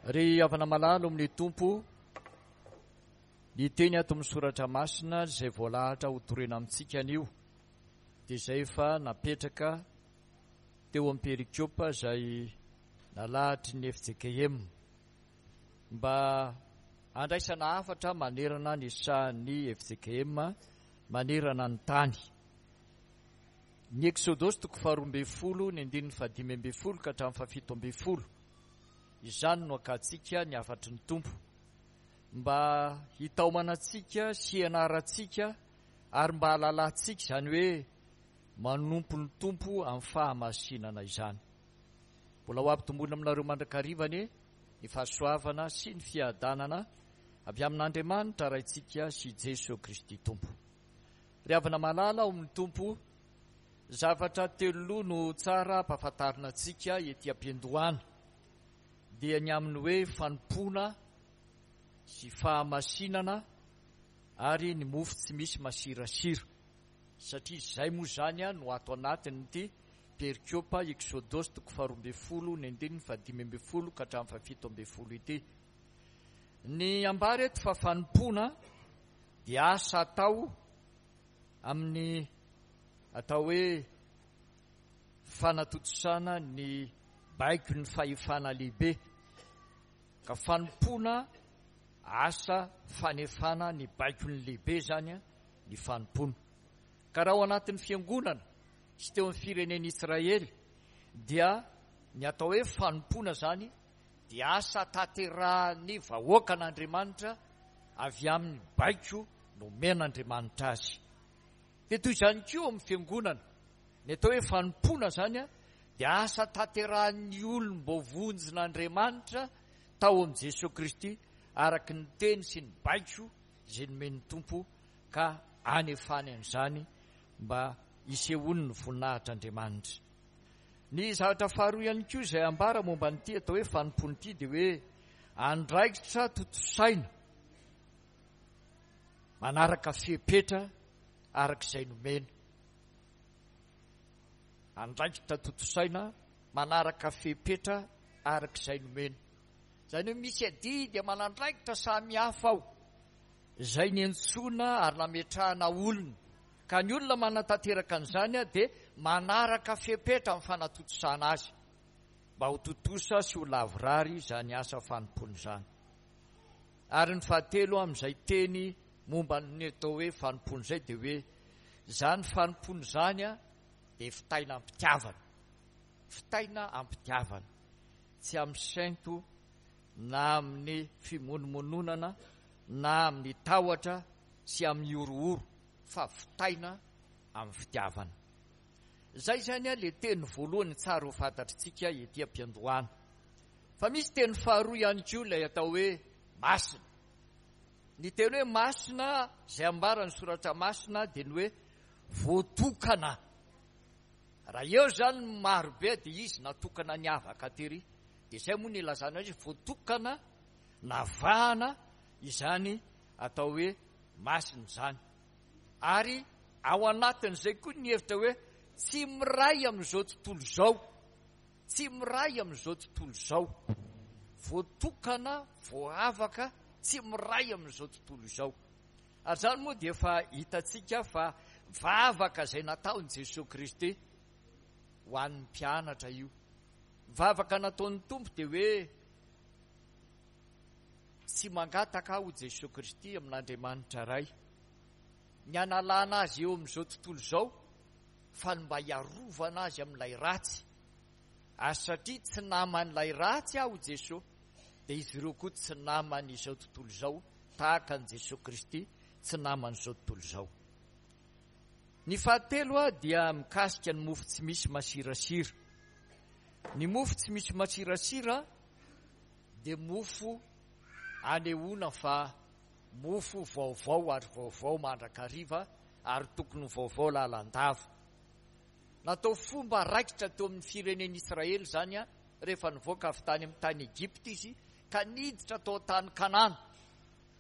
Ry havana malala ao amin'ny Tompo, ny teny ato amin'ny Soratra Masina izay voalahatra ho torena amintsika anio dia izay efa napetraka teo amin'ny perikopa izay nalahatry ny fjkm mba handraisana hafatra manerana ny sahan'ny fjkm manerana ny tany. Ny Eksodosy toko faharoa ambin'ny folo ny andininy faha-15 ka hatramin'ny faha-17. Izany no akantsika ny hafatry ny Tompo mba hitaomana antsika sy hianarantsika ary mba hahalalantsika izany hoe manompo ny Tompo amin'ny fahamasinana izany. Mbola ho ampitomboina aminareo mandrakariva anie ny fahasoavana sy ny fiadanana avy amin'Andriamanitra Raintsika sy Jesoa Kristy Tompo. Ry havana malala ao amin'ny Tompo, zavatra telo loha no tsara ampahafantarina antsika ety am-piandohana, dia ny amin'ny hoe fanompoana sy fahamasinana ary ny mofo tsy misy masirasira, satria izay moa izany no ato anatin'ity perikopa Eksodosy toko faha-12 ny andininy faha-15 ka hatramin'ny faha-17 ity. Ny ambara eto fa fanompoana dia asa atao amin'ny atao hoe fanatontosana ny baikon'ny fahefana lehibe, ka fanompoana asa fanefana ny baikon'ny lehibe izany ny fanompoana. Ka raha ao anatin'ny fiangonana sy teo amin'ny firenen'Israely dia ny atao hoe fanompoana izany dia asa tanterahan'ny vahoakan'Andriamanitra avy amin'ny baiko nomen'Andriamanitra azy. Dia toy izany koa ao amin'ny fiangonana, ny atao hoe fanompoana izany dia asa tanterahan'ny olom-boavonjin'Andriamanitra tao amin'i Jesoa Kristy araka ny teny sy ny baiko izay nomen'ny Tompo ka anefany an'izany mba hisehoan'ny voninahitr'Andriamanitra. Ny zavatra faharoa ihany koa izay ambara momba an'ity atao hoe fanompoana ity dia hoe andraikitra tontosaina manaraka fepetra araka izay nomena. Andraikitra tontosaina manaraka fepetra araka izay nomena. Izany hoe misy adidy aman'andraikitra samihafa ao izay niantsoana ary nametrahana olona. Ka ny olona manatanteraka an'izany dia manaraka fepetra amin'ny fanatontosana azy mba ho tontosa sy ho lavorary izany asa fanompoana izany. Ary ny fahatelo amin'izay teny momba ny atao hoe fanompoana izay dia hoe izany fanompoana izany dia fitaina am-pitiavana. Fitaina am-pitiavana. Tsy amin'ny sento na amin'ny fimonomononana na amin'ny tahotra sy amin'ny horohoro fa vitaina amin'ny fitiavana. Izay izany ilay teny voalohany tsara ho fantatritsika ety am-piandohana. Fa misy teny faharoa ihany koa ilay atao hoe masina. Ny teny hoe masina izay ambaran'ny soratra masina dia ny hoe voatokana. Raha eo izany ny marobe dia izy natokana niavaka tery. Dia izay moa no ilazana azy voatokana, navahana izany atao hoe masina izany. Ary ao anatin'izay koa ny hevitra hoe tsy miray amin'izao tontolo izao, tsy miray amin'izao tontolo izao, voatokana, voaavaka, tsy miray amin'izao tontolo izao. Ary izany moa dia efa hitantsika fa vavaka izay nataon'i Jesoa Kristy ho an'ny mpianatra io. Vavaka nataon'ny Tompo dia hoe Tsy mangataka aho Jesoa Kristy amin'Andriamanitra Ray ny hanalana azy eo amin'izao tontolo izao fa ny mba hiarovana azy amin'ilay ratsy. Ary satria tsy naman'ilay ratsy aho Jesoa dia izy ireo koa tsy naman'izao tontolo izao tahaka an'i Jesoa Kristy tsy naman'izao tontolo izao. Ny fahatelo dia mikasika ny mofo tsy misy masirasira. Ny mofo tsy misy masirasira dia mofo anehoana fa mofo vaovao ary vaovao mandrakariva ary tokony ho vaovao lalandava. Natao fomba raikitra teo amin'ny firenen'Israely izany rehefa nivoaka avy tany amin'ny tany Egypta izy ka niditra tao an-tany Kanana,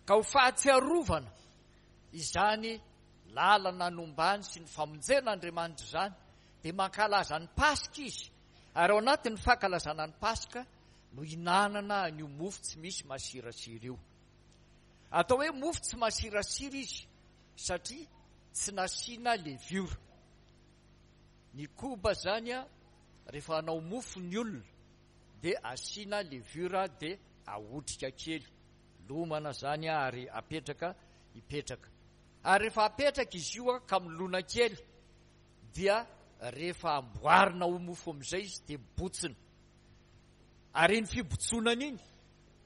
ka ho fahatsiarovana izany lalana nombany sy ny famonjen'Andriamanitra izany dia mankalaza ny Paska izy, ary ao anatin'ny fankalazana ny Paska. no hinanana an'io mofo tsy misy masirasira io. Atao hoe mofo tsy masirasira izy satria tsy nasiana leviora. Ny koba izany rehefa hanao mofo ny olona dia asiana levure dia ahotrika kely, lomana izany ary apetraka hipetraka. Ary rehefa apetraka izy io ka milona kely dia rehefa amboarina ho mofo amin'izay izy dia mibotsina. Ary iny fibotsonana iny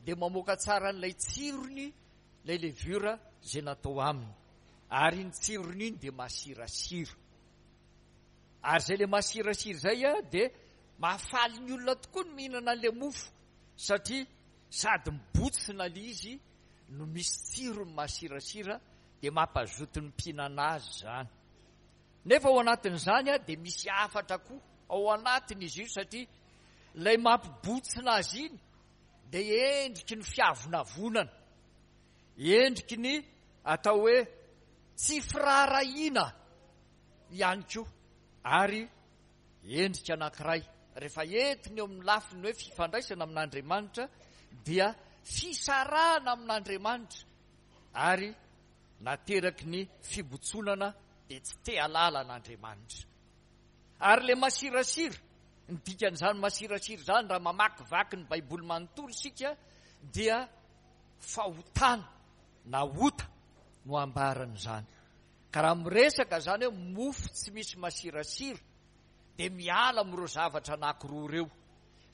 dia mamoaka tsara an'ilay tsirony ilay levure izay natao aminy. Ary iny tsirony iny dia masirasira. Ary izay ilay masirasira izay dia mahafaly ny olona tokoa ny mihinana an'ilay mofo satria sady mibotsina ilay izy no misy tsirony masirasira dia mampazoto ny mpihinana azy izany. Nefa ao anatin'izany dia misy hafatra koa ao anatiny izy io satria ilay mampibotsina azy iny dia endriky ny fiavonavonana, endriky ny atao hoe tsy firaharahiana ihany koa ary endrika anankiray rehefa entiny eo amin'ny lafiny hoe fifandraisana amin'Andriamanitra dia fisarahana amin'Andriamanitra ary nateraky ny fibotsonana dia tsy te halala an'Andriamanitra. Ary ilay masirasira, ny dikan'izany masirasira izany raha mamakivaky ny Baiboly manontolo isika dia fahotana na ota no ambaran'izany. Ka raha miresaka izany hoe mofo tsy misy masirasira dia miala amin'ireo zavatra anankiroa ireo.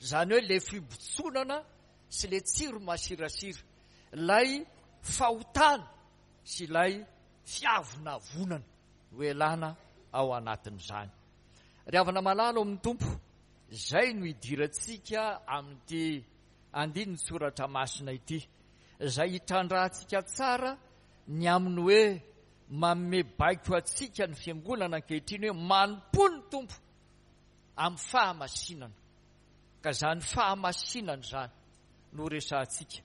Izany hoe ilay fibotsonana sy ilay tsiro masirasira. Ilay fahotana sy ilay fiavonavonana no elana ao anatin'izany. Ry havana malala ao amin'ny Tompo, izay no idirantsika amin'ity andinin-tsoratra masina ity, izay hitrandrahantsika tsara ny amin'ny hoe manome baiko antsika ny Fiangonana ankehitriny hoe manompoa ny Tompo amin'ny fahamasinana. Ka izany fahamasinana izany no resahantsika.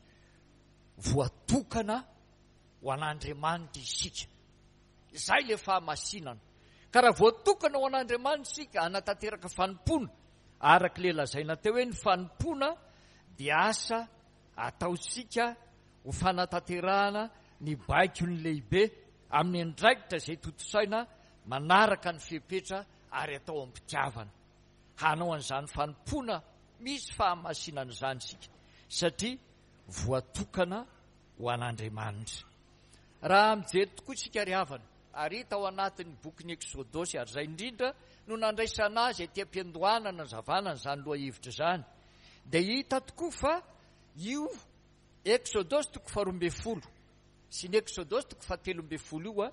Voatokana ho an'Andriamanitra isika. Izay ilay fahamasinana. Ka raha voatokana ho an'Andriamanitra isika hanatanteraka fanompoana, araka ilay lazaina teo hoe ny fanompoana dia asa ataontsika ho fanatanterahana ny baikon'ny lehibe amin'ny andraikitra izay tontosaina manaraka ny fepetra ary atao am-pitiavana. Hanao an'izany fanompoana misy fahamasinana izany isika satria voatokana ho an'Andriamanitra. Raha mijery tokoa isika ry havana, ary hita ao anatin'ny bokin'ny Eksodosy, ary izay indrindra no nandraisana azy aty am-piandohana nanazavana an'izany lohahevitra izany, dia hita tokoa fa io Eksodosy toko faharoa ambin'ny folo sy ny Eksodosy toko fahatelo ambin'ny folo io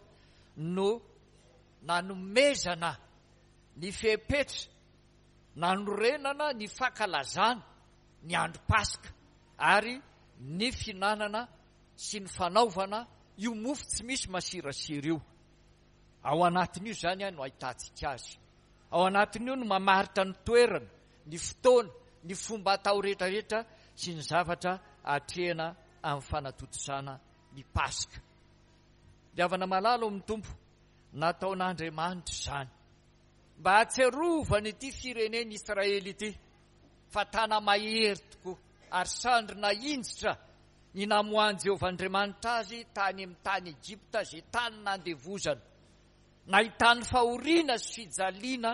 no nanomezana ny fepetra nanorenana ny fankalazana ny andro Paska ary ny fihinanana sy ny fanaovana io mofo tsy misy masirasira io. Ao anatin'io izany no ahitantsika azy. Ao anatin'io no mamaritra ny toerana, ny fotoana, ny fomba atao rehetrarehetra sy ny zavatra atrehina amin'ny fanatontosana ny Paska. Ry havana malala ao amin'ny Tompo, nataon'Andriamanitra izany mba hahatsiarovana ity firenen'Israely ity fa tana-mahery tokoa ary sandry nahinjitra ny namoahan'i Jehovah Andriamanitra azy tany amin'ny tany Egypta, izay tany nandevozana. Nahitany fahoriana sy fijaliana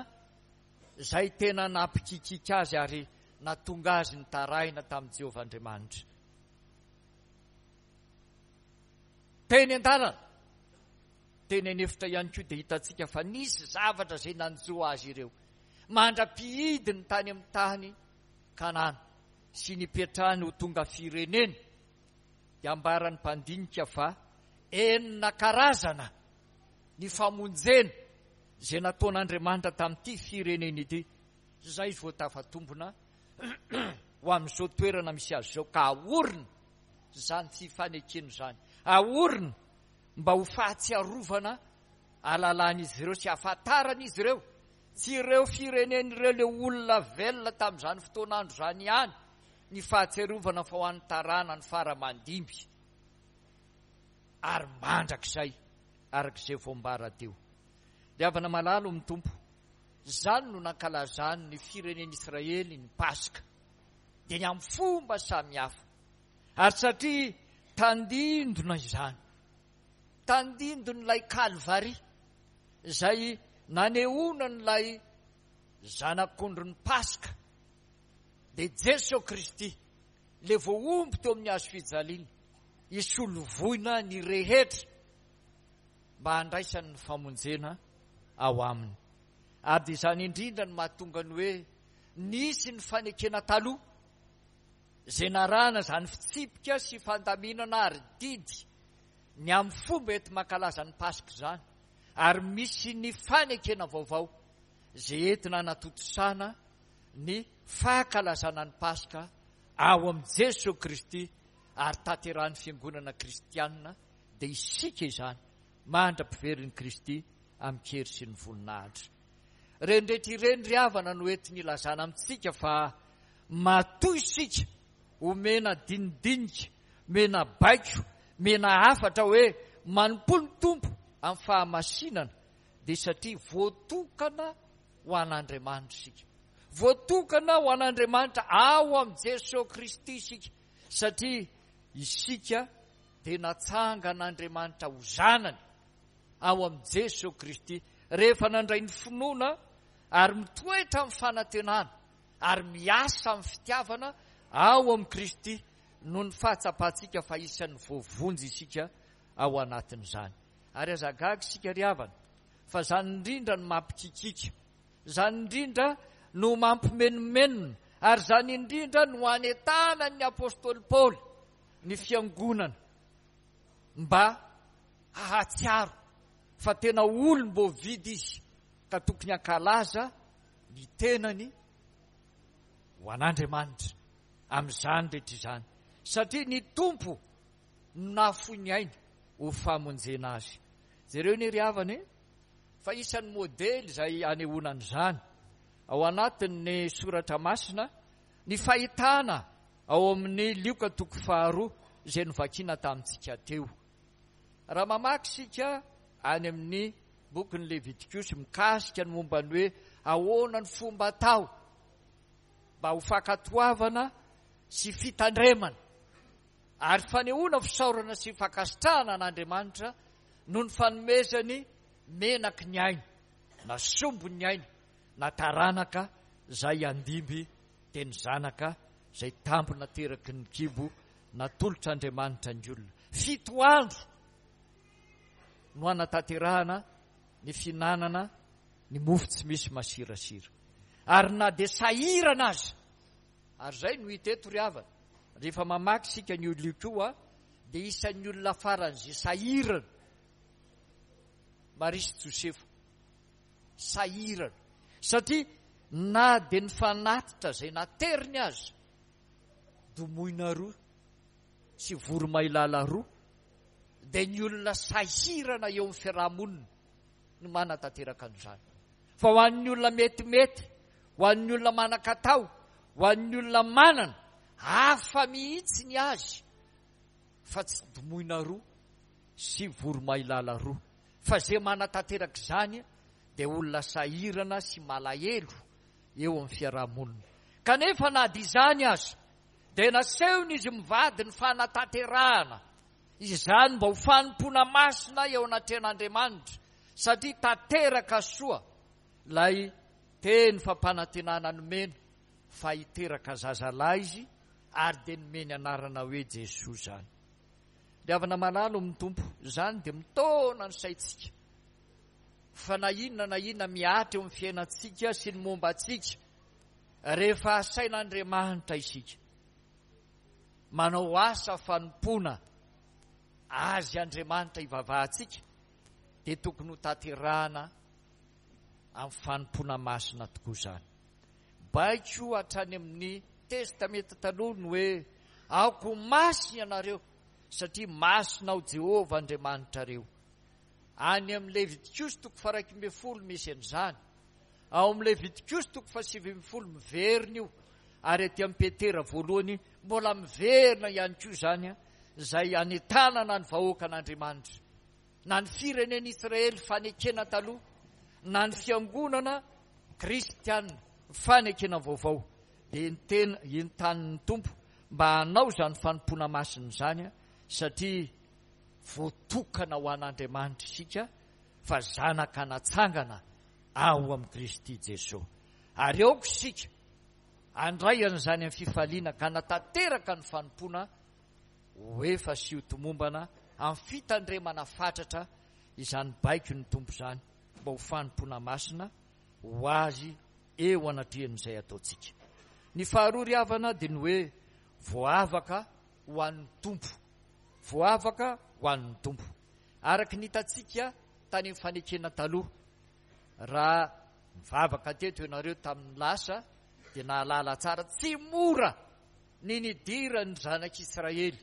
izay tena nampikikiaka azy ary nahatonga azy nitaraina tamin'i Jehovah Andriamanitra. Teny an-dalana, teny an'efitra ihany koa dia hitantsika fa nisy zavatra izay nanjo azy ireo mandra-pihidiny tany amin'ny tany Kanana sy nipetrahany ho tonga firenena dia ambaran'ny mpandinika fa enina karazana ny famonjena izay nataon'Andriamanitra tamin'ity firenena ity izay vao tafatombina ho amin'izao toerana misy azy izao ka aorina izany fifanekena izany aorina mba ho fahatsiarovana alalan'izy ireo sy ahafantaran'izy ireo Tsy ireo firenena ireo ilay olona velona tamin'izany fotoan'andro izany ihany ny fahatsiarovana fa ho an'ny taranany fara aman-dimby ary mandrakizay araka izay voambara teo. Ry havana malala ao amin'ny Tompo, izany no nankalazan'ny firenen'Israely ny Paska. dia ny amin'ny fomba samihafa. Ary satria tandindona izany, tandindon'ilay Kalvary, izay nanehoana an'ilay Zanak'ondrin'ny Paska, dia Jeso Kristy, ilay voahombo teo amin'ny hazo fijaliana, hisolo voina ny rehetra mba handraisany ny famonjena ao aminy. Ary dia izany indrindra no mahatonga ny hoe nisy ny fanekena taloha, izay narahana izany fitsipika sy fandaminana ary didy ny amin'ny fomba enti-mankalaza ny Paska izany, ary misy ny fanekena vaovao izay entina hanatontosana ny fankalazana ny Paska ao amin'i Jesoa Kristy ary tanterahin'ny Fiangonana Kristianina, dia isika izany, mandra-piverin'i Kristy amin-kery sy ny voninahitra. Ireny rehetra ireny ry havana no entiny ilazana amintsika fa matoa isika omena dinidinika, omena baiko, omena hafatra hoe manompoa ny Tompo amin'ny fahamasinana dia satria voatokana ho an'Andriamanitra isika. Voatokana ho an'Andriamanitra ao amin'i Jesoa Kristy isika satria isika dia natsangan'Andriamanitra ho zanany ao amin'i Jesoa Kristy rehefa nandray ny finoana ary mitoetra amin'ny fanantenana ary miasa amin'ny fitiavana ao amin'i Kristy noho ny fahatsapantsika fa isan'ny voavonjy isika ao anatin'izany. Ary aza gaga isika ry havana fa izany indrindra no mampikikiaka, izany indrindra no mampimenomenona ary izany indrindra no anentanan'ny apostoly Paoly ny fiangonana mba hahatsiaro fa tena olom-boavidy izy ka tokony hankalaza ny tenany ho an'Andriamanitra amin'izany rehetra izany satria ny Tompo no nahafoy ny ainy ho famonjena azy. Jereo anie ry havana e, fa isan'ny modely izay anehoana an'izany ao anatin'ny soratra masina ny fahitana ao amin'ny Lioka toko faharoa izay novakiana tamintsika teo. Raha mamaky isika any amin'ny bokin'ny Levitikosy mikasika ny momba ny hoe ahoana ny fomba atao mba ho fankatoavana sy fitandremana ary fanehoana fisaorana sy fankasitrahana an'Andriamanitra noho ny fanomezany menaky ny aina na sombin'ny aina na taranaka izay handimby dia ny zanaka izay tambo nateraky ny kibo natolotr'Andriamanitra ny olona. Fito andro no hanatanterahana ny fihinanana ny mofo tsy misy masirasira. Ary na dia sahirana aza, ary izay no hita eto ry havana, rehefa mamaky isika ny olona io koa, dia isan'ny olona faran'izay sahirana Maria sy Josefa. Sahirana. Satria na dia ny fanatitra izay nateriny aza, domoina roa sy voromailala roa, dia ny olona sahirana eo amin'ny fiarahamonina no manatanteraka an'izany. Fa ho an'ny olona metimety, ho an'ny olona manan-katao, ho an'ny olona manana, hafa mihitsy ny azy fa tsy domoina roa sy voromailala roa. Fa izay manatanteraka izany dia olona sahirana sy malahelo eo amin'ny fiarahamonina. Kanefa na dia izany aza dia nasehon'izy mivady ny fanatanterahana izany mba ho fanompoana masina eo anatrehan'Andriamanitra satria tanteraka soa ilay teny fampanantenana nomena fa hiteraka zazalahy izy ary dia nomeny anarana hoe Jesoa izany. Ry havana malala ao amin'ny Tompo, izany dia mitaona ny saintsika fa na inona na inona mihatra eo amin'ny fiainantsika sy ny momba antsika, rehefa asain'Andriamanitra isika manao asa fanompoana Azy Andriamanitra ivavahantsika, dia tokony ho tanterahana amin'ny fanompoana masina tokoa izany. Baiko hatrany amin'ny Testamenta Taloha ny hoe, Aoka ho masina ianareo, satria masina aho Jehovah Andriamanitrareo. Any amin'ny Levitikosy toko faha-11 misy an'izany. Ao amin'ny Levitikosy toko faha-19 miverina io, ary aty amin'ny Petera voalohany mbola miverina ihany koa izany, izay anentanana ny vahoakan'Andriamanitra, na ny firenen'Israely fanekena taloha, na ny fiangonana kristiana fanekena vaovao. dia entena, entanin'ny Tompo mba hanao izany fanompoana masina izany satria voatokana ho an'Andriamanitra isika fa zanaka natsangana ao amin'i Kristy Jesoa. Ary aoka isika handray an'izany amin'ny fifaliana ka hanatanteraka ny fanompoana ho efa sy ho tomombana amin'ny fitandremana fatratra izany baikon'ny Tompo izany mba ho fanompoana masina ho Azy eo anatrehan'izay ataontsika. Ny faharoa ry havana dia ny hoe voavaka ho an'ny Tompo. Voavaka ho an'ny Tompo. Araka ny hitantsika tany amin'ny fanekena taloha, raha nivavaka teto ianareo tamin'ny lasa dia nahalala tsara tsy mora ny nidiran'ny zanak'Israely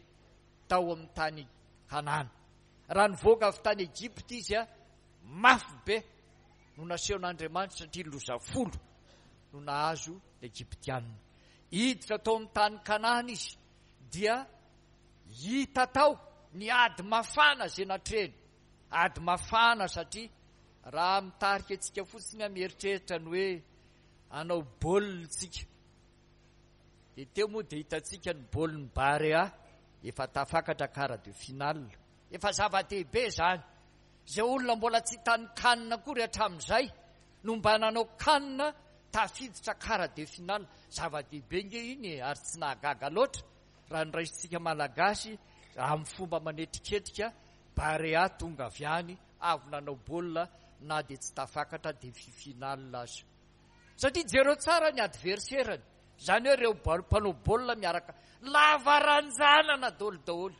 tao amin'ny tany Kanana. Raha nivoaka avy tany Egypta izy, mafy be no nasehon'Andriamanitra satria loza folo no nahazo ny Egyptiana. Hiditra tao amin'ny tany Kanana izy dia hita tao ny ady mafana izay natrehiny. Ady mafana satria raha mitarika antsika fotsiny aho mieritreritra ny hoe hanao baolina tsika. Dia teo moa dia hitantsika ny baolin'ny Barea efa tafakatra quart de finale. Efa zava-dehibe izany. Izay olona mbola tsy hitan'ny CAN akory hatramin'izay no mba nanao CAN tafiditra quart de finale. Zava-dehibe nge iny e, ary tsy nahagaga loatra raha ny raisintsika Malagasy amin'ny fomba manetriketrika Barea tonga avy any avy nanao baolina na dia tsy tafakatra demi finale aza. Satria jereo tsara ny adversaire-ny, izany hoe ireo mpanao baolina miaraka lava ranjanana daholo daholo.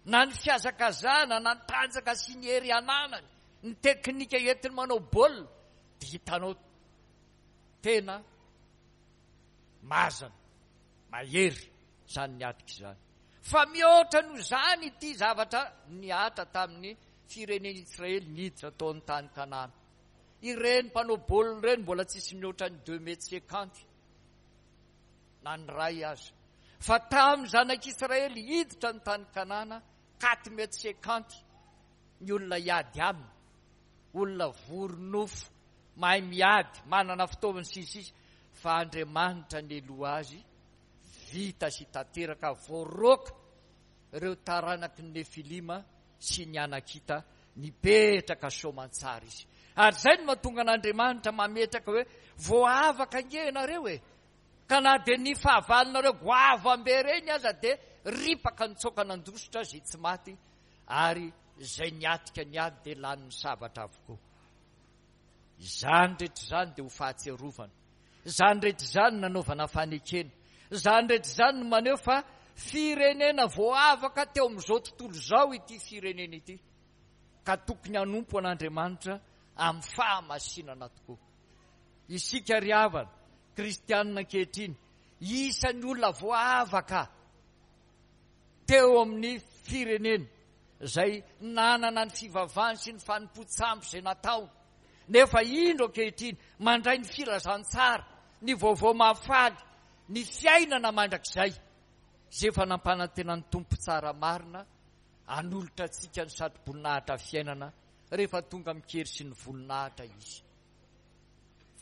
Na ny fihazakazahana, na ny tanjaka sy ny hery ananany, ny teknika entiny manao baolina dia hitanao tena mazana, mahery izany niatrika izany. Fa mihoatra noho izany ity zavatra nihatra tamin'ny firenen'Israely niditra tao amin'ny tany Kanana. Ireny mpanao baolina ireny mbola tsisy mihoatra ny deux mètres cinquante na ny iray aza. Fa tamin'ny zanak'Israely hiditra ny tany Kanana, quatre mètres cinquante ny olona hiady aminy. Olona vory nofo, mahay miady, manana fitaovana sy ny sisa Fa Andriamanitra neloa azy, vita sy tanteraka, voaroaka ireo taranaky ny Nefilima sy ny Anakita nipetraka soamantsara izy. Ary izay no mahatonga an'Andriamanitra mametraka hoe voavaka ange ianareo e! Ka na dia ny fahavalonareo goavambe ireny aza dia ripaka nitsoaka nandositra izay tsy maty ary izay niatrika ny ady dia lanin'ny sabatra avokoa. Izany rehetra izany dia ho fahatsiarovana. Izany rehetra izany no nanaovana fanekena. Izany rehetra izany no maneho fa firenena voavaka teo amin'izao tontolo izao ity firenena ity, ka tokony hanompo an'Andriamanitra amin'ny fahamasinana tokoa. Isika ry havana, kristianina ankehitriny, isan'ny olona voavaka teo amin'ny firenena izay nanana ny fivavahany sy ny fanompoan-tsampy izay natao, nefa indro ankehitriny mandray ny filazantsara, ny vaovao mahafaly, ny fiainana mandrakizay izay efa nampanantenan'ny Tompo tsara marina hanolotra antsika ny satroboninahitra fiainana rehefa tonga amin-kery sy ny voninahitra Izy.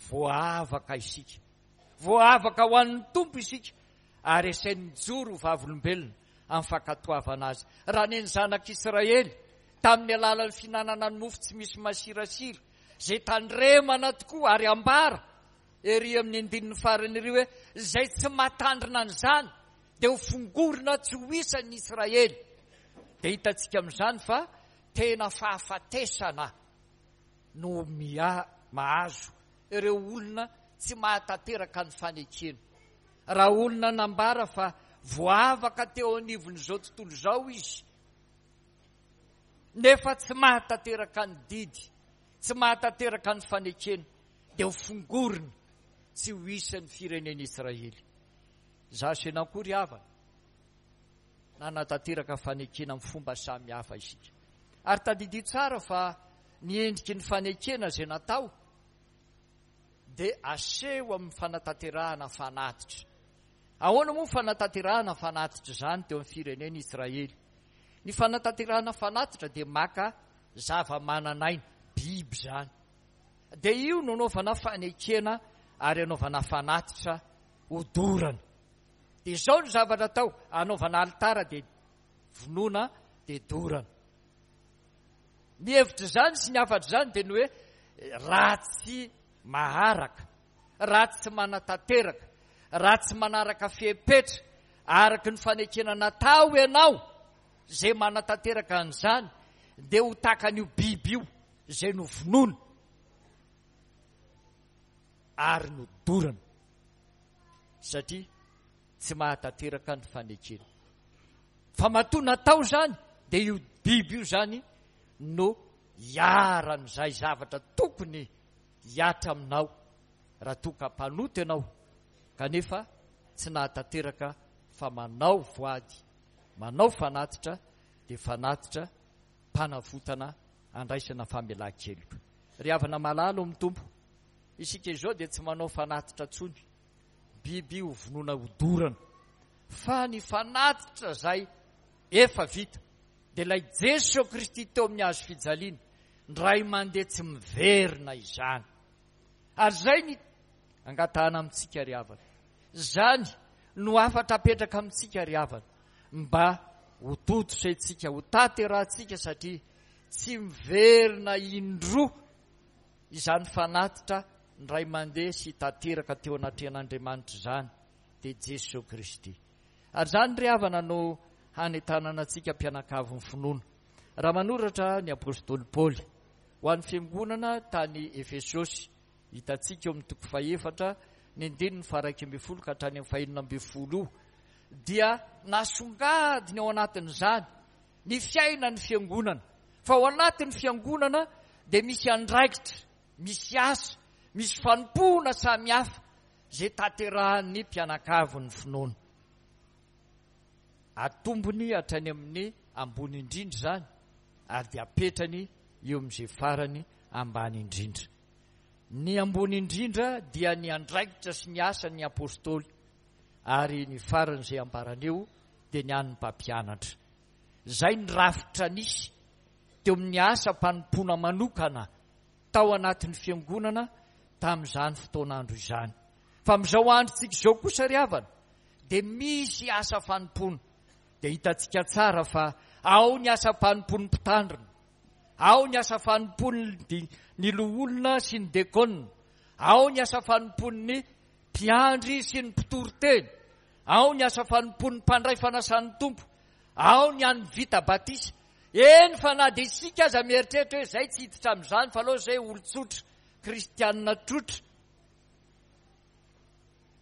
Voavaka isika. Voavaka ho an'ny Tompo isika ary asainy mijoro ho vavolombelona amin'ny fankatoavana Azy. Raha ny zanak'Israely, tamin'ny alalan'ny fihinanana ny mofo tsy misy masirasira, izay tandremana tokoa ary ambara ery amin'ny andininy farany ery hoe, izay tsy mahatandrina an'izany dia ho fongorina tsy ho isan'ny Israely. Dia hitantsika amin'izany fa tena fahafatesana no mahazo ireo olona tsy mahatanteraka ny fanekena. Raha olona nambara fa voavaka teo anivon'izao tontolo izao izy, nefa tsy mahatanteraka ny didy, tsy mahatanteraka ny fanekena, dia ho fongorina tsy ho isan'ny firenen'Israely. Izaho sy ianao koa ry havana, nanatanteraka fanekena amin'ny fomba samy hafa isika. Ary tadidio tsara fa ny endriky ny fanekena izay natao dia aseho amin'ny fanatanterahana fanatitra. Ahoana moa fanatanterahana fanatitra izany teo amin'ny firenena Israely? Ny fanatanterahana fanatitra dia maka zava-manan'aina, biby izany. Dia io no anaovana fanekena ary anaovana fanatitra. Hodorana. Dia izao ny zavatra atao, anaovana alitara dia vonoina dia dorana. Ny hevitr'izany sy ny hafatr'izany dia ny hoe raha tsy maharaka, raha tsy manatanteraka, raha tsy manaraka fepetra araka ny fanekena natao ianao, izay manatanteraka an'izany dia ho takan'io biby io izay novonoina ary nodorana satria tsy mahatanteraka ny fanekena. Fa matoa natao izany dia io biby io izany no hiharan'izay zavatra tokony hihatra aminao raha toa ka mpanota ianao kanefa tsy nahatanteraka fa manao voady, manao fanatitra dia fanatitra mpanavotana andraisana famelan-keloka. Ry havana malala ao amin'ny Tompo, isika izao dia tsy manao fanatitra intsony, biby ho vonoina hodorana, fa ny fanatitra izay efa vita dia ilay Jeso Kristy teo amin'ny hazo fijaliana, indray mandeha tsy miverina izany. Ary izay ny angatahana amintsika ry havana. Izany no hafatra apetraka amintsika ry havana, mba ho tontosaintsika, ho tanterahantsika satria tsy miverina indroa izany fanatitra indray mandeha sy tanteraka teo anatrehan'Andriamanitra izany, dia Jesoa Kristy. Ary izany ry havana no hanentanana antsika mpianakavin'ny finoana. Raha manoratra ny apostoly Paoly ho an'ny fiangonana tany Efesosy, hitantsika eo amin'ny toko fahefatra ny andininy faha-11 ka hatrany amin'ny faha-16 io, dia nasongadiny ao anatin'izany ny fiainan'ny fiangonana. Fa ao anatin'ny fiangonana dia misy andraikitra, misy asa, misy fanompoana samihafa izay tanterahan'ny mpianakavin'ny finoana. Atombony hatrany amin'ny ambony indrindra izany ary dia apetrany eo amin'izay farany ambany indrindra. Ny ambony indrindra dia ny andraikitra sy ny asan'ny apostoly ary ny farany izay ambarany eo dia ny an'ny mpampianatra. Izay ny rafitra nisy teo amin'ny asam-panompoana manokana tao anatin'ny fiangonana tamin'izany fotoan'andro izany. Fa amin'izao androntsika izao kosa ry havana dia misy asa fanompoana. Dia hitantsika tsara fa ao ny asam-panompoan'ny mpitandrina, ao ny asa fanompoan'ny ny loholona sy ny dekona, ao ny asa fanompoan'ny mpiandry sy ny mpitory teny, ao ny asa fanompoan'ny mpandray fanasan'ny Tompo, ao ny an'ny vita batisa. Eny fa na dia isika aza mieritreritra hoe izay tsy hiditra amin'izany fa aleo izay olon-tsotra, kristianina trotra.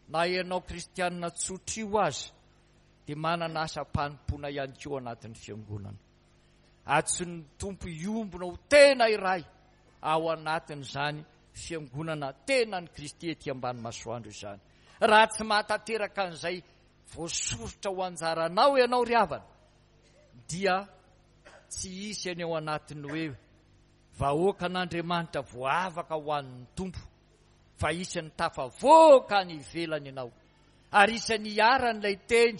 Na ianao kristianina tsotra io aza dia manana asam-panompoana ihany koa anatin'ny fiangonana. Antsoin'ny Tompo hiombona ho tena iray ao anatin'izany fiangonana tenan'i Kristy ety ambany masoandro izany. Raha tsy mahatanteraka an'izay voasoritra ho anjaranao ianao ry havana dia tsy hisy any ao anatin'ny hoe vahoakan'Andriamanitra voavaka ho an'ny Tompo fa isan'ny tafavoaka any ivelany ianao ary isan'ny iharan'ilay teny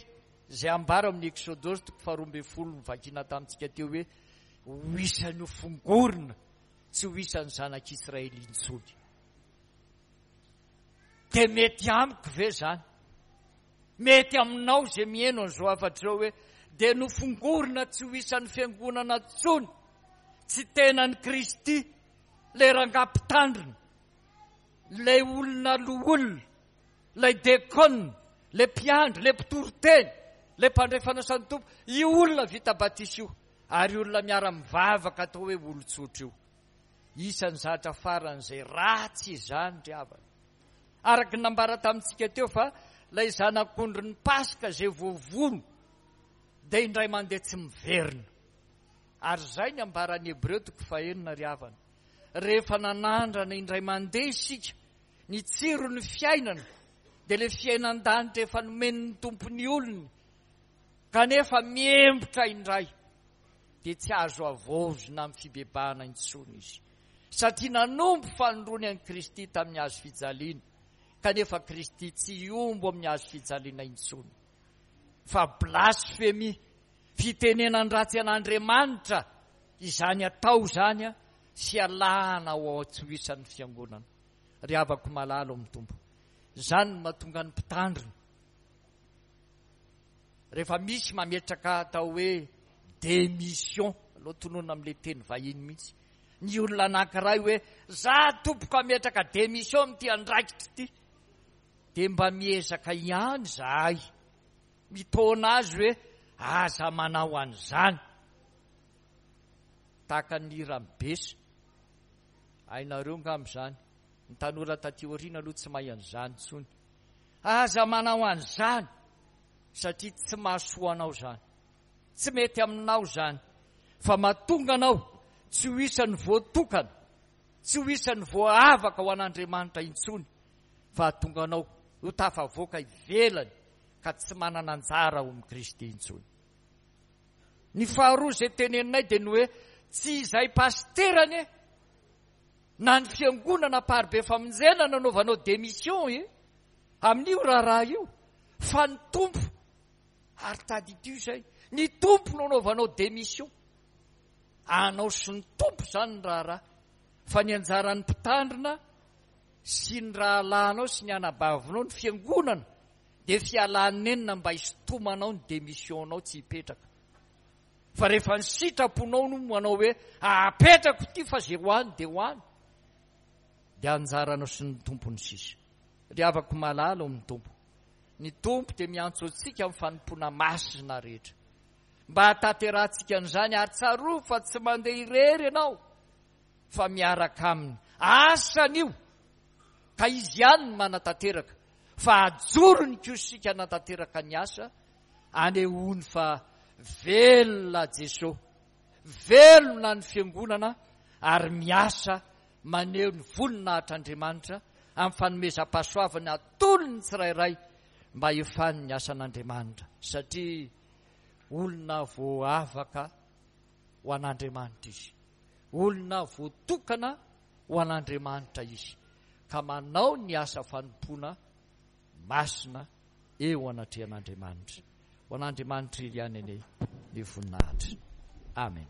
izay ambara amin'ny Eksodosy toko faharoa ambin'ny folo novakiana tamintsika teo hoe ho isan'ny ho fongorina tsy ho isan'ny zanak'Israely intsony. Dia mety amiko ve izany? Mety aminao izay miheno an'izao hafatra izao hoe dia nofongorina tsy ho isan'ny fiangonana intsony, tsy tenan'i Kristy, ilay rangahy mpitandrina, ilay olona loholona, ilay dekona, ilay mpiandry, ilay mpitoriteny, ilay mpandray fanasan'ny Tompo, io olona vita batisa io, ary olona miara-mivavaka atao hoe olon-tsotra io. Isan'ny zatra faran'izay ratsy izany ry havana. Araka ny nambara tamintsika teo fa ilay zanak'ondrin'ny Paska izay voavono dia indray mandeha tsy miverina. Ary izay ny ambaran'ny Hebreo toko fahenina ry havana. Rehefa nanandrana indray mandeha isika ny tsiron'ny fiainana dia ilay fiainan-danitra efa nomen'ny Tompo ny olony kanefa miembotra indray dia tsy azo havaozina amin'ny fibebahana intsony izy satria nanompo fanindroany an'i Kristy tamin'ny hazo fijaliana kanefa Kristy tsy hiombo amin'ny hazo fijaliana intsony fa blasfemia fitenenan-dratsy an'Andriamanitra izany atao izany sy alahana ao tsy ho isan'ny fiangonana. Ry havako malala ao amin'ny Tompo, Izany no mahatonga ny mpitandrina. Rehefa misy mametraka atao hoe démission, aleo tononina amin'ilay teny vahiny mihitsy, ny olona anankiray hoe za tompoko hametraka démission amin'ity andraikitra ity, dia mba miezaka ihany izahay mitaona azy hoe aza manao an'izany. Tahaka ny hiran'i Bessa. Hainareo angamba izany. Ny tanora taty aoriana aloha tsy mahay an'izany intsony. Aza manao an'izany satria tsy mahasoa anao izany. Tsy mety aminao izany fa mahatonga anao tsy ho isan'ny voatokana, tsy ho isan'ny voaavaka ho an'Andriamanitra intsony fa hahatonga anao ho tafavoaka ivelany ka tsy manana anjara ao amin'i Kristy intsony. Ny faharoa izay teneninay dia ny hoe tsy izay pasitera anie na ny fiangonana Amparibe Famonjena nanaovanao démission e amin'io raharaha io fa ny Tompo ary tadidio izay ny Tompo no anaovanao démission anao sy ny Tompo izany ny raharaha fa ny anjaran'ny mpitandrina sy ny rahalahinao sy ny anabavinao ny fiangonana dia fialanenina mba hisintomanao ny démission-nao tsy hipetraka Fa rehefa ny sitraponao no manao hoe apetrako ity fa ze ho any dia ho any, dia anjaranao sy ny Tompo ny sisa. Ry havako malala ao amin'ny Tompo, ny Tompo dia miantso antsika amin'ny fanompoana masina rehetra. Mba hahatanterahantsika an'izany, ary tsarovy fa tsy mandeha irery ianao fa miaraka Aminy. Asany io, ka Izy ihany no manatanteraka, fa ajorony kosa isika hanatanteraka ny asa anehoany fa velona Jeso, velona ny Fiangonana ary miasa maneho ny voninahitr'Andriamanitra amin'ny fanomezam-pahasoavana atolony ny tsirairay mba hefany ny asan'Andriamanitra satria olona voavaka ho an'Andriamanitra izy, olona voatokana ho an'Andriamanitra izy ka manao ny asa fanompoana masina eo anatrehan'Andriamanitra. Ho an'Andriamanitra irery ihany anie ny voninahitra. Amen.